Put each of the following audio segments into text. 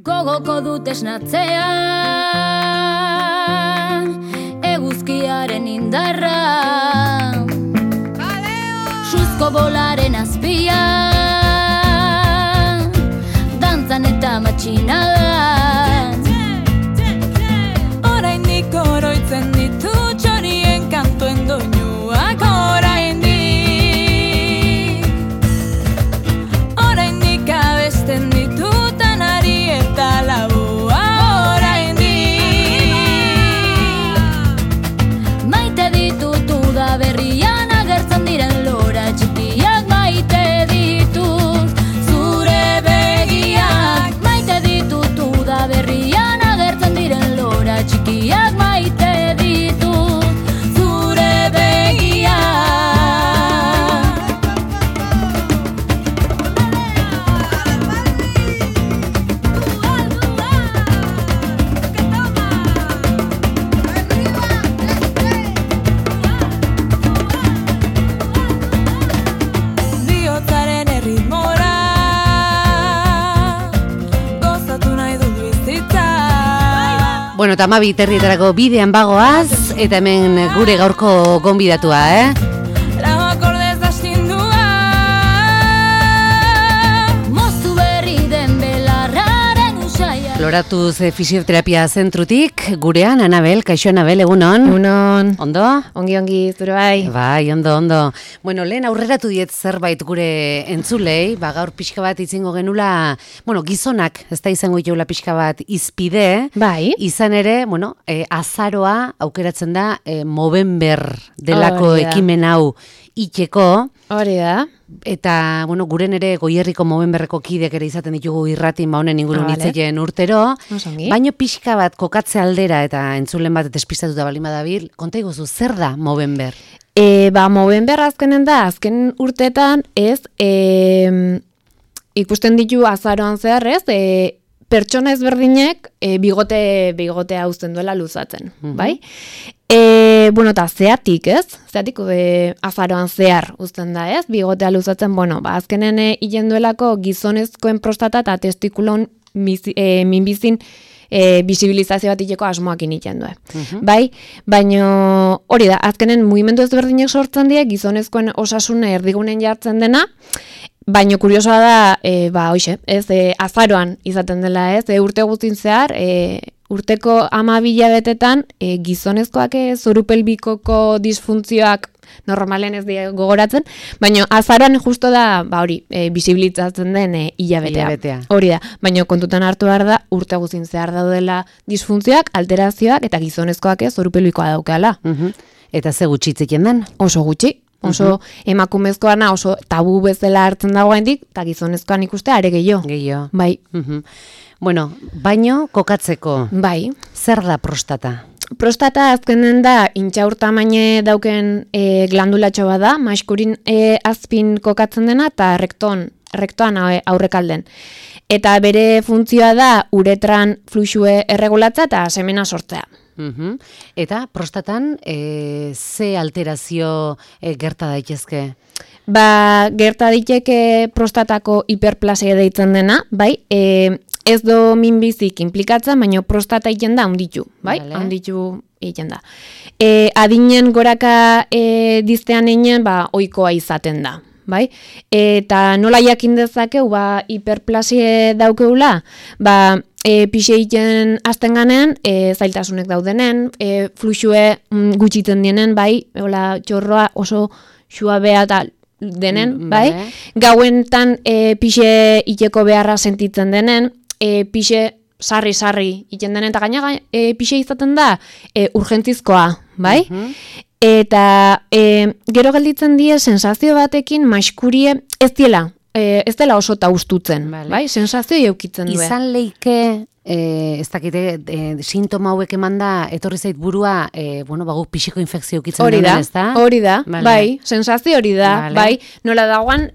Gogoko dut esnatzea, eguzkiaren indarra, suzko bolaren azpia, dantzan eta matxinadan. Oraindik oroitzen ditu txorien kantuen doinuak, oraindik abesten ditutan ari eta laua oraindik. Maite ditut udaberrian agertzen diren lora txikiak, maite ditut zure begiak. Maite ditut udaberrian agertzen diren lora txikiak, maite ditut zure begiak. Bihotzaren erritmora gozatu nahi dut bizitza. Bueno, eta Amabi terrietarako bidean bagoaz, eta hemen gure gaurko gonbidatua, Lau akordez astindua, moztu berri den belarraren usaia. Loratuz fisioterapia zentrutik, gurean, Anabel, kaixo Anabel, egunon? Egunon. Ondo? Ongi, zure bai. Bai, ondo. Bueno, lehen aurreratu diet zerbait gure entzulei, gaur pixka bat itzingo genula, gizonak, ez da izango itxeula pixka bat izpide, Bai. izan ere, azaroa aukeratzen da Movember delako Hori da. ekimen hau itxeko, Hori da. eta, guren ere Goierriko Movemberreko kidek ere izaten ditugu irratin honen ingurun Vale. hitzeien urtero, Osongi. baino pixka bat kokatze aldera eta entzulen bat despistatuta balima dabil, konta iguzu, zer da Movember? Movember azkenen da, azken urteetan ez, ikusten ditu azaroan zehar ez, pertsona ezberdinek bigotea uzten duela luzatzen, bai? Eta zeatik ez, azaroan zehar uzten da ez, bigotea luzatzen, azkenen hilen duelako gizonezkoen prostata eta testikulon minbizin bisibilizazio bat iteko asmoakin iten du. Bai, baina hori da, azkenen mugimendu ezberdinek sortzen die, gizonezkoen osasun erdigunen jartzen dena, baina kuriosoa da, azaroan izaten dela ez, urte guztin zehar, urteko 12 hilabetetan gizonezkoak zorupelbikoko disfuntzioak normalen ez die gogoratzen, baina azaroan justo da, bisibilizatzen den hilabetea. Hori da, baina kontutan hartu behar da, urte guztin zehar daudela disfuntzioak, alterazioak eta gizonezkoak zorupelbikoa daukala. Eta ze gutxitzeken den? Oso gutxi. Oso emakumezkoana oso tabu bezala hartzen dagoendik, eta gizonezkoan ikuste are gehiago. Gehiago. Bai. Baino kokatzeko. Bai. Zer da prostata? Prostata azkenen da intxaur tamaine dauken glandulatxo bat da, maskurin azpin kokatzen dena eta rektoan aurrekalden. Eta bere funtzioa da uretran fluxue erregulatza eta semena sortzea. Eta prostatan ze alterazio gerta daitezke? Gerta daiteke prostatako hiperplasia deitzen dena, bai? Ez do minbizik implikatzen, baina prostata egiten da handitu, bai? Vale. Handitu egiten da. Adinen goraka diztean egin, ohikoa izaten da, bai? Eta nola jakin dezakeu, hiperplasie daukeula, pixe egiten azten ganean, zailtasunek daudenen, fluxue gutxitzen dienen, bai? Txorroa oso suabea eta denen, bai? Gauentan pixe iteko beharra sentitzen denen, pixe sarri iten denen, eta gaina pixe izaten da urgentzizkoa, bai? Eta gero gelditzen die sensazio batekin maskurie ez dela oso taustutzen, bai? Sensazio eukitzen du. Izan leike, ez dakite, sintoma hauek emanda, etorri zait burua, guk pixiko infekzio eukitzen duen, ez da? Hori da, bai, sensazio hori da, bai. Nola dagoan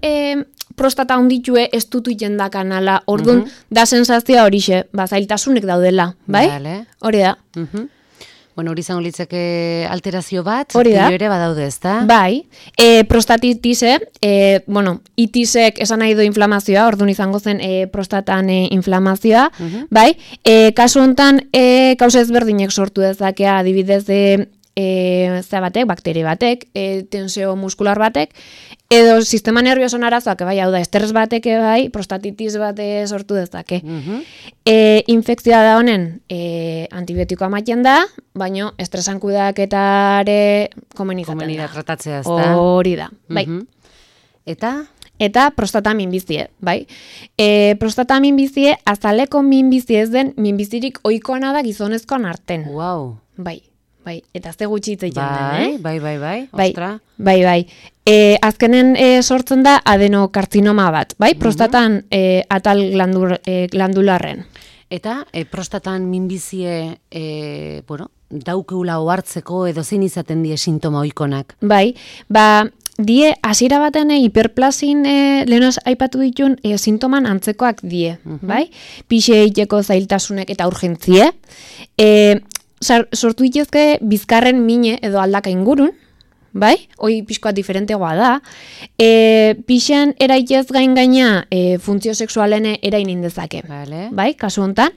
prostata onditue ez dutu jenda kanala, orduan da sensazioa horixe, zailtasunek daudela, bai? Hori da. Bueno, hori izango litzake alterazio bat, Hori da. pilo ere badaude, ezta? Bai, prostatitise, itisek esan nahi du inflamazioa, orduan izango zen prostatan inflamazioa, bai? Kasu honetan, kausa ezberdinek sortu dezakea, adibidez, bakteri batek, tensio muskular batek, edo sistema nervioso arazoak, bai, hau da, estres batek, bai, prostatitis bat sortu dezake. Infekzioa da honen, antibiotikoa ematen da, baino estresan kudeaketare komeni izaten da. Tratatzea, ezta? Hori da, bai. Eta prostata minbizie, bai. Prostata minbizie, azaleko minbizie ez den, minbizirik ohikoena da gizonezkoan arten. Wow. Bai. Eta ze gutxi hitz egiten den, Bai, ostra. Bai. Azkenen sortzen da adenokartzinoma bat, bai? Prostatan atal glandularren. Eta prostatan minbizie, daukeula ohartzeko edo zein izaten die sintoma ohikonak. Bai, die hasiera baten hiperplasin lehen aipatu ditun sintoman antzekoak die, bai? Pixe egiteko zailtasunek eta urgentzie. Sortu dituzke bizkarren mine edo aldaka ingurun, bai? Hoi pixkoa diferentegoa da. Pixen eraitez gaina funtzio sexualen erain indezake. Bai, kasu honetan.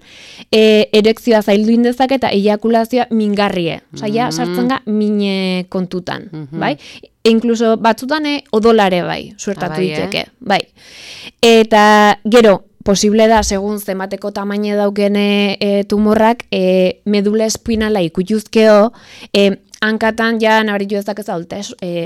Erekzioa zaildu indezake eta eiakulazioa mingarrie. Osa, sartzen ga mine kontutan, bai? Inkluso batzutan odolare bai, suertatu diteke, bai. Eta gero, posible da, segun zemateko tamaine dauken tumorrak, medula espinala ikutuzkeo, hankatan ja nabaritu ezak ez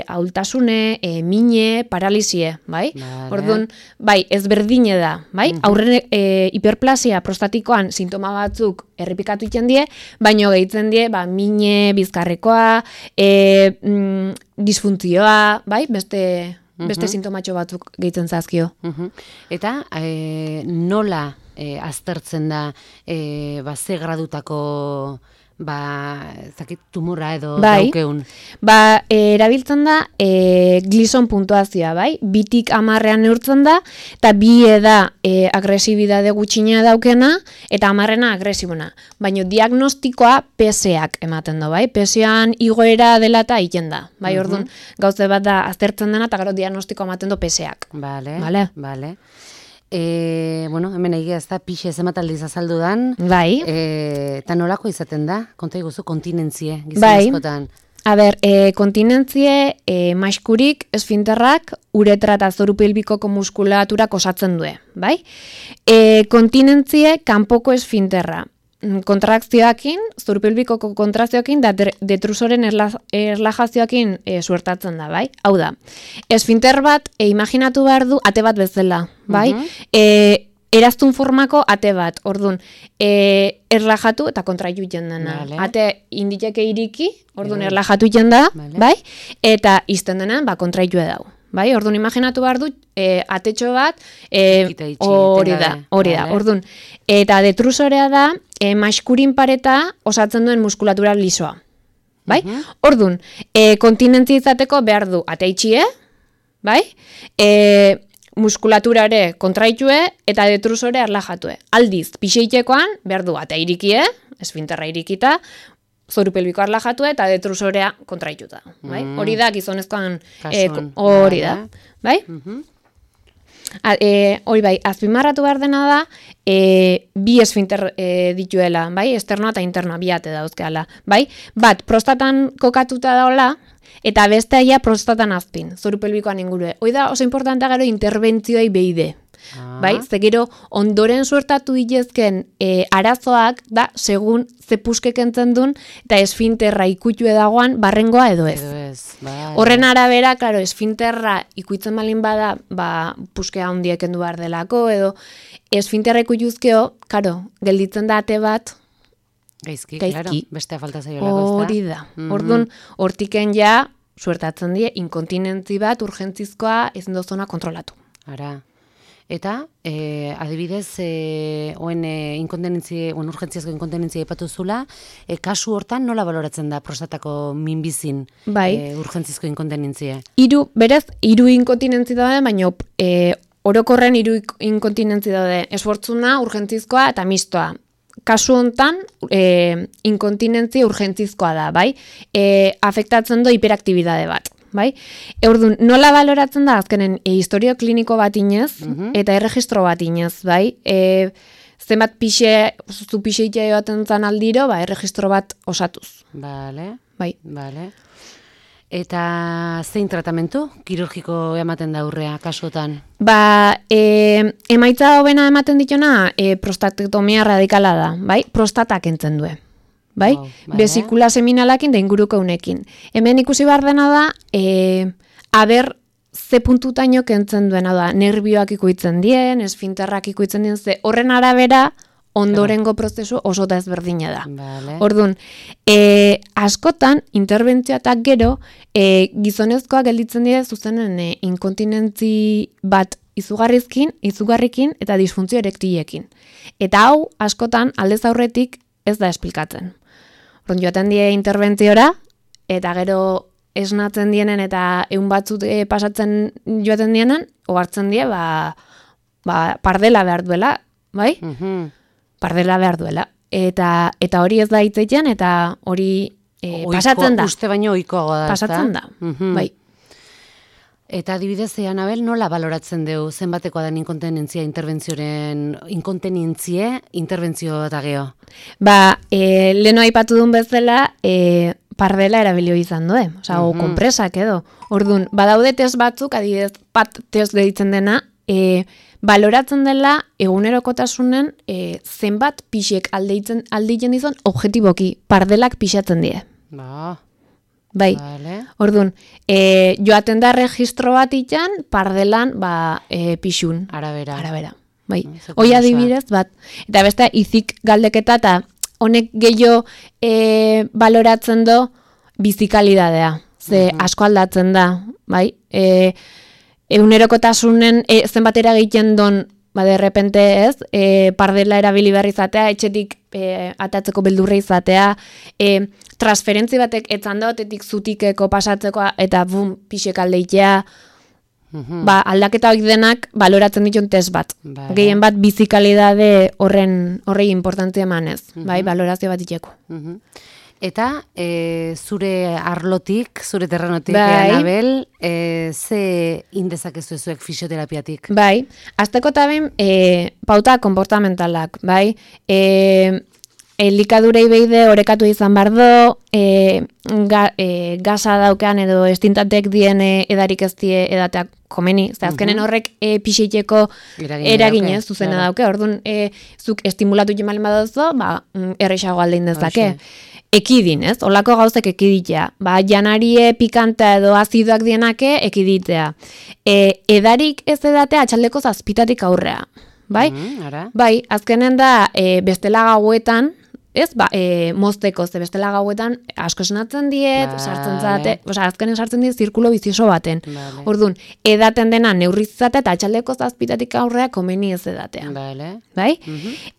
ahultasune, mine, paralizie, bai? Orduan, bai, ezberdine da, bai? Aurren hiperplasia prostatikoan sintoma batzuk errepikatu iten die, baino gehitzen die, mine, bizkarrekoa, disfuntzioa, bai? Beste sintomatxo batzuk gehitzen zazkio. Eta nola aztertzen da ze gradutako tumorra edo daukeun? Erabiltzen da Gleason puntuazioa, bai? 2tik 10ean neurtzen da, eta 2 da agresibidade gutxina daukena, eta 10ena agresibona. Baina diagnostikoa PSAak ematen du, bai? PSAan igoera dela eta egiten da, bai? Orduan, gauze bat da aztertzen dena, eta gero diagnostikoa ematen du PSAak. Bale. Hemen egia ez da, pixe zemataldiz azaldu dan. Bai. Eta nolako izaten da? Konta iguzu, kontinentzie, gizonezkotan. Kontinentzie maiskurik, esfinterrak, uretra eta zoru pelbikoko muskulaturak osatzen due, bai? Kontinentzie kanpoko esfinterra. Kontrakzioakin, zoru pelbikoko kontrakzioakin, da detrusoren erlajazioakin suertatzen da, bai? Hau da, esfinter bat, imaginatu behar du, ate bat bezala, bai? Eraztun formako ate bat, orduan, erlajatu eta kontraitu iten dena. Ate inditeke iriki, orduan erlajatu iten da, bai? Eta izten dena, kontraitu edau. Bai, orduan imaginatu behar du, atetxo bat, hori da, orduan. Eta detrusorea da, maiskurin pareta osatzen duen muskulatura lisoa. Bai? Orduan, kontinentzia izateko behar du ateitxie, bai? Muskulaturare kontraitue eta detrusore erlajatue. Aldiz, pixeitekoan behar du ate irikie, esfinterra irikita, zoru pelbiko erlajatue eta detrusorea kontraituta. Bai? Hori da, gizonezkoan hori da. Bai? Hori bai, azpimarratu behar dena da, bi esfinter dituela, bai? Esternoa eta internoa, bi ate dauzkeala. Bai? Bat, prostatan kokatuta daola, eta besteaia prostatan azpin, zoru pelbikoan ingurue. Hoi da, oso importantea gero interventzioi behide. Bai? Ze gero, ondoren suertatu ditezken arazoak da, segun ze puskek entzen duen, eta esfinterra ikutue dagoan, barrengoa edo ez. Horren arabera, klaro, esfinterra ikuitzen balin bada, puskea handiek endu behar delako, edo esfinterra ikutuzkeo, klaro, gelditzen da ate bat, Gaizki, claro, bestea falta zaiolako, ez da? Hori da. Orduan, hortiken ja, suertatzen die, inkontinentzi bat, urgentzizkoa, ezin dozona kontrolatu. Ara. Eta, adibidez, urgentziazko inkontinentzia ipatu zula, kasu hortan nola baloratzen da prostatako minbizin urgentzizko inkontinentzia? Berez, 3 inkontinentzi daude, baina orokorren 3 inkontinentzi daude. Esfortzuna, urgentzizkoa eta mistoa. kasu hontan inkontinentzia urgentzizkoa da, bai? Afektatzen du hiperaktibidade bat. Bai? Orduan, nola baloratzen da azkenen historio kliniko bat inez eta erregistro bat inez, bai? Zenbat zu pixe itea joaten zan aldiro, erregistro bat osatuz. Bale, bai. Bale. Eta zein tratamentu kirurgiko ematen da aurrea kasutan? Emaitza hobena ematen ditona prostatektomia radikala da, bai? Prostatak entzen due. Bai? Besikula seminalakin da inguruko unekin. Hemen ikusi behar dena da, aber ze puntutaino kentzen duena da, nerbioak ikuitzen dien, esfinterrak ikuitzen dien, ze horren arabera ondorengo prozesu oso da ezberdina da. Vale. Orduan, askotan, interbentzioatak gero, gizonezkoak gelditzen dira zuzenen inkontinentzi bat izugarrikin eta disfuntzio erektilekin. Eta hau, askotan, aldez aurretik ez da esplikatzen. Orduan, joaten die interventziora, eta gero esnatzen dienen eta egun batzut pasatzen joaten dienen, ohartzen die, pardela behar duela, bai? Pardela behar duela. Eta hori ez da hitzetan, eta hori pasatzen da. Uste baino ohikoagoa da. Pasatzen da, bai. Eta adibidez, Anabel, nola baloratzen dugu zenbatekoa den inkontinentzia interbentzio eta geho? Leheno aipatu duen bezala, pardela erabilio izan due, o kompresak edo. Orduan, badaude test batzuk, adibidez, pat test deitzen dena, baloratzen dela egunerokotasunen zenbat pixek alditzen dizon objetiboki, pardelak pixatzen die. Bai, vale. Orduan, joaten da registro bat itxan, pardelan pixun. Arabera. Bai, hoi adibidez bat. Eta beste, izik galdeketa eta honek gehiago baloratzen do bizikalidadea. Ze asko aldatzen da, bai? Egunerokotasunen zenbatera egiten don, de repente ez, pardela erabili behar izatea, etxetik atatzeko beldurra izatea, transferentzi batek etzan da, otetik zutikeko pasatzeko, eta bum, pixek aldeitea, aldaketa hori denak baloratzen ditun test bat. Gehien bat bizikalidade horrei importantzia emanez, bai, balorazio bat itxeko. Eta zure arlotik, zure terrenotik, Anabel, ze indezakezu zuek fisioterapiatik? Bai, azteko taben pauta konportamentalak, bai, elikadurei beide orekatu izan bardo, gaza daukan edo estintatek dien edarik ez die edateak komeni. Azkenen horrek pixiteko eraginez zuzena dauke. Orduan, zuk estimulatu jemalen badozo, errexago aldein dezake. Ekidin, ez? Olako gauzek ekiditea. Janarie pikanta edo azidoak dienake ekiditea. Edarik ez edatea atxaldeko zazpitatik aurrea. Bai? Bai, azkenen da bestela gauetan, ez, mozteko, ze bestela gauetan asko esenatzen diet, sartzen zate, azkenen sartzen diet zirkulo bizioso baten. Orduan, edaten dena neurrizate eta atxaldeko zazpitatik aurrea komeni ez edatea. Bai?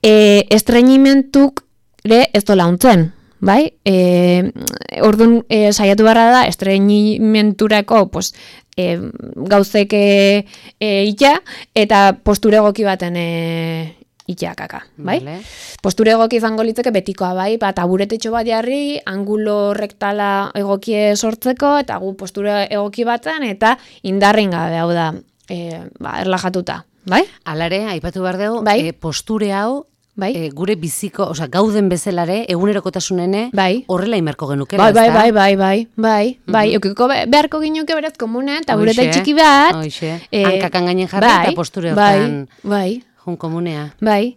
Estreinimentuk ez dola untzen. Bai? Orduan, saiatu barra da, estreinimenturako gauzek itxa, eta posture egoki baten itxakaka, bai? Posture egoki izango litzeke betikoa, bai? Taburetetxo bat jarri, angulo rektala egokie sortzeko, eta gu posture egoki baten, eta indarren gabe, hau da, erlajatuta, bai? Alare, aipatu behar dugu, posture hau, gure biziko, gauden bezalare, egunerokotasunene, horrela imerko genuke. Bai. Eukiko beharko ginuke beraz komunean, tabureta txiki bat. Hankakan gainen jarri eta posture hortan jun komunea. Bai.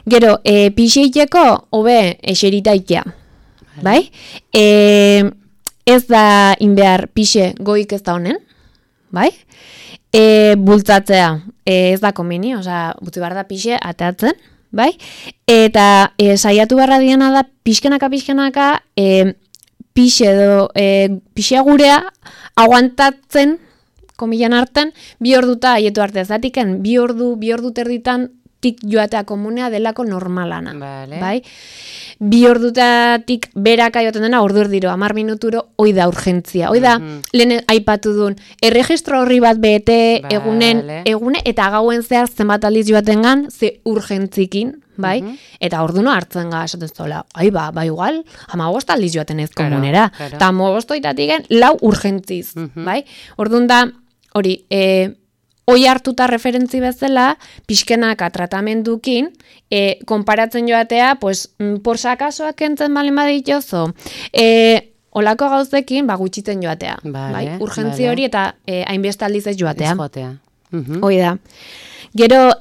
Gero, pixeiteko, hobe, eserita itea. Bai? Ez da inbehar pixe goik ez da honen. Bai? Bultzatzea, ez da komeni, butzi behar da pixe ateatzen. Bai? Eta saiatu barra diana da pixkenaka pixea gurea aguantatzen, komilan hartan, 2 orduta haietu arte zatiken, 2 ordu terditan ordutatik joatea komunea delako normalana. Vale. Bai? 2 ordutatik beraka joaten dena, ordu erdiro, 10 minuturo, hoi da urgentzia. Hoi da, lehen aipatu duen, erregistro horri bat bete, egune, eta gauen zehar zenbat aldiz joatengan, ze urgentzikin, bai? Eta orduno hartzen ga, esaten zola, ba igual, 15 aldiz joaten ez komunera. Eta 15 lau urgentziz, bai? Orduan da, hori, hoi hartuta referentzi bezala, pixkenaka tratamendukin, konparatzen joatea, pues, por sakasoak entzen balen baditzozo, olako gauzekin, gutxitzen joatea. Bai? Urgentzi hori eta hainbeste aldiz ez joatea. Hoi da. Gero,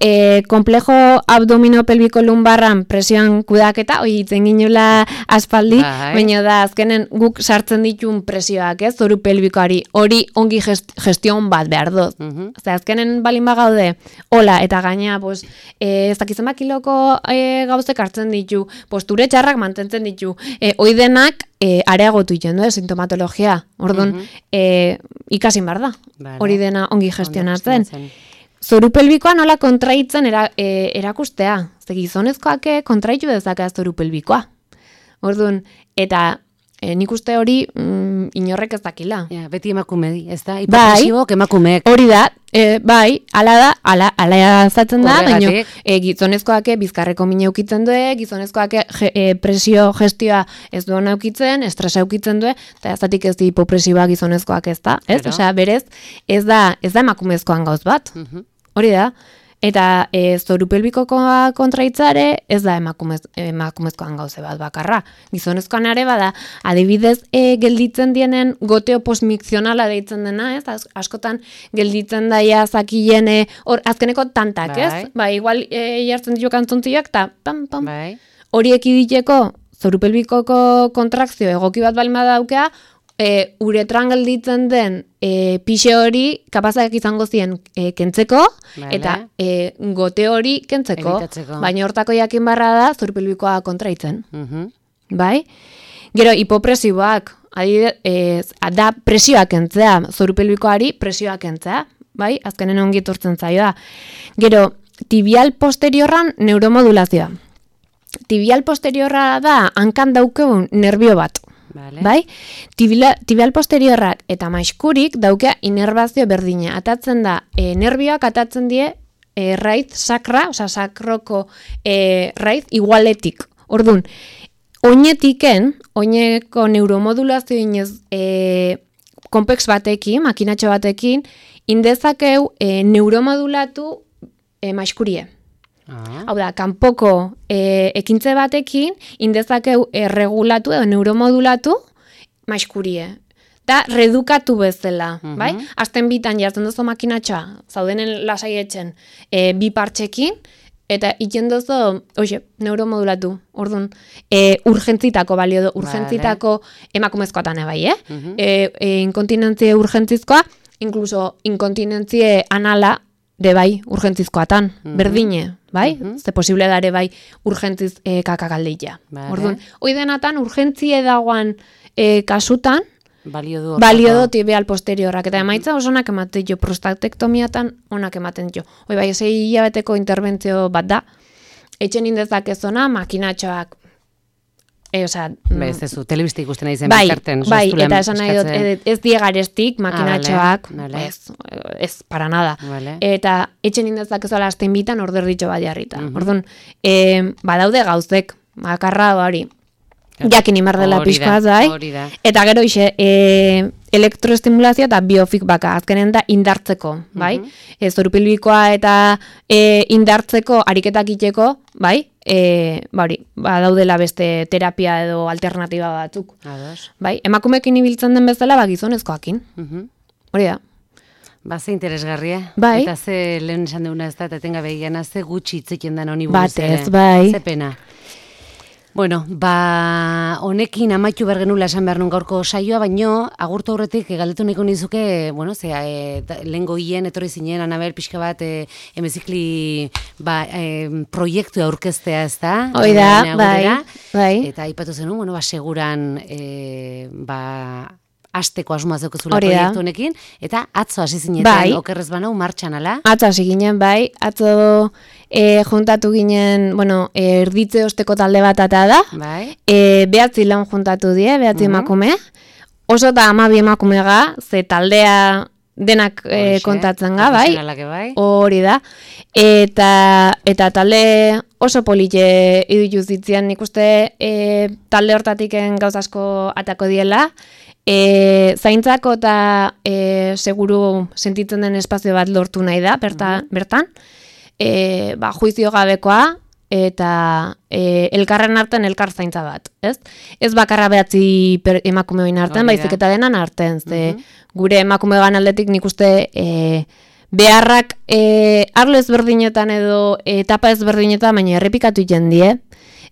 komplejo abdominopelbiko lumbarran presioan kudaketa, hoi itzen ginula aspaldi, baina da, azkenen guk sartzen ditun presioak, zoru pelbikoari, hori ongi gestion bat behar dut. Azkenen balin bagaude, hola, eta gaina, ez dakizen kiloko gauzek hartzen ditu, posture txarrak mantentzen ditu, hoi denak, areagotu iten, sintomatologia. Orduan, ikasin behar da, hori dena ongi gestionatzen. Zoru pelbikoa nola kontraitzen erakustea. Ze gizonezkoak kontraitu dezaka zoru pelbikoa. Orduan, eta nik uste hori inorrek ez dakila. Beti emakume di, ez da? Hipopresibok emakumeek. Hori da, bai, ala zatzen da, baina gizonezkoak bizkarreko mine eukitzen du, gizonezkoak presio gestioa ez duan eukitzen, estresa eukitzen du, eta zatik ez di hipopresiboa gizonezkoak ez da, ez? Osea, berez, ez da emakumezkoan gauz bat. Hori da, eta zoru pelbikoa kontraitzare ez da emakumezkoan gauze bat bakarra. Gizonezkoan ere bada, adibidez gelditzen dienen goteo postmikzionala deitzen dena, ez? Askotan gelditzen daia zakien azkeneko tantak, ez? Igual jartzen ditu kantzontziak, eta pam. Horiek iditeko zoru pelbikoko kontrakzio egoki bat balima daukea, uretran gelditzen den pixe hori kapazak izango zien kentzeko, eta gote hori kentzeko. Baina hortako jakin barra da zoru pelbikoa kontraitzen. Bai? Gero, hipopresiboak, da presioak kentzea, zoru pelbikoari presioak kentzea, bai? Azkenen ongi etortzen zaio da. Gero, tibial posteriorran neuromodulazioa. Tibial posteriorra da hankan daukeun nerbio bat. Bai? Tibial posteriorrak eta maiskurik daukea inerbazio berdina. Atatzen da, nerbioak atatzen die raiz sakra, oza, sakroko raiz igualetik. Orduan, oineko neuromodulazio inez konpex batekin, makinatxo batekin, indezakeu neuromodulatu maiskurie. Hau da, kanpoko ekintze batekin indezakeu regulatu edo neuromodulatu maiskurie. Da, redukatu bezala, bai? Azten bitan jartzen duzu makinatxoa, zaudenen lasaietxen bi partxekin, eta iten duzu, neuromodulatu, orduan, urgentzitako balio du, urgentzitako emakumezkoatan ebai, inkontinentzia urgentzizkoa, inkluso inkontinentzia anala, de bai, urgentzizkoatan, berdine, bai? Ze posible dare bai, urgentziz kakakaldeitea. Orduan, hoi denatan, urgentzie dagoan kasutan, balio du tibial posteriorrak, eta emaitza oso onak ematen jo, prostatektomiatan onak ematen jo. Hoi bai, 6 hilabeteko interbentzio bat da, etxen indezak ez ona, makinatxoak, ez zu, telebizte ikusten nahi zen bitarten. Bai, eta esan nahi dut, ez diegarestik, makinatxoak, ez, para nada. Eta etxen indezak ezola azten bitan order ditxo bat jarrita. Orduan, badaude gauzek, bakarra hori, jakin imardela pixkoaz, bai? Eta gero ise, elektroestimulazioa eta biofeedbacka, azkenen da indartzeko, bai? Zoru pelbikoa eta indartzeko, ariketak iteko, bai? Daudela beste terapia edo alternatiba batzuk. Bai? Emakumekin ibiltzen den bezala, gizonezkoakin. Hori da. Ze interesgarria. Bai. Eta ze lehen esan duguna ez da, eta tenga behiana, ze gutxi itzeken den honi buruz ere. Batez, bai. Ze pena. Bueno, honekin amaitu bergenula esan behar nun gaurko saioa, baino, agurtu aurretik galdetu nahiko nizuke, lehengo hien, etorri zinen, Anabel, pixka bat, emezikli proiektu aurkeztea ez da? Hoi da, bai. Eta aipatu zenun, seguran, asteko asmoa zeukezula proiektu honekin, eta atzo hasi zinetan, okerrez banau, martxan ala? Atzo hasi ginen, bai, atzo juntatu ginen, bueno, erditze osteko talde bat ata da. Bai. 9 laun juntatu die, 9 emakume. Oso da 12 emakumega, ze taldea denak kontatzen ga, bai? Hori da. Eta talde oso polite idutu zitzian, nik uste talde hortatiken gauz asko atako diela. Zaintzako eta seguru sentitzen den espazio bat lortu nahi da, bertan. Juizio gabekoa eta elkarren artean elkar zaintza bat, ez? Ez bakarra 9 emakume hoin artean, baizik eta denan artean, ze gure emakume aldetik nik uste beharrak arlo ezberdinetan edo etapa ezberdinetan, baina errepikatu jendie,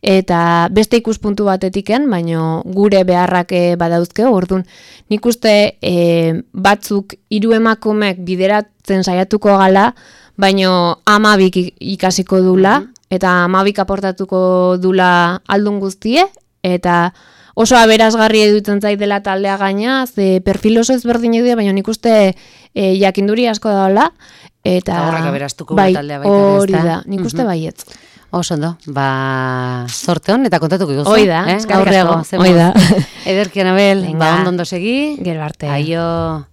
eta beste ikuspuntu batetiken, baina gure beharrak badauzke, orduan nik uste batzuk 3 emakumek bideratzen saiatuko gala, baina 12 ikasiko dula, eta 12 aportatuko dula aldun guztie, eta oso aberasgarri edutzen zait dela taldea gaina, ze perfil oso ezberdin edu, baina nik uste jakinduri asko daula, eta horrek aberastuko taldea baita. Hori da, nik uste baietz. Oso ondo, sorte hon, eta kontatuko iguzu. Hoi da, aurreago. Hoi da. Ederki, Anabel, ondo segi. Gero arte. Aio.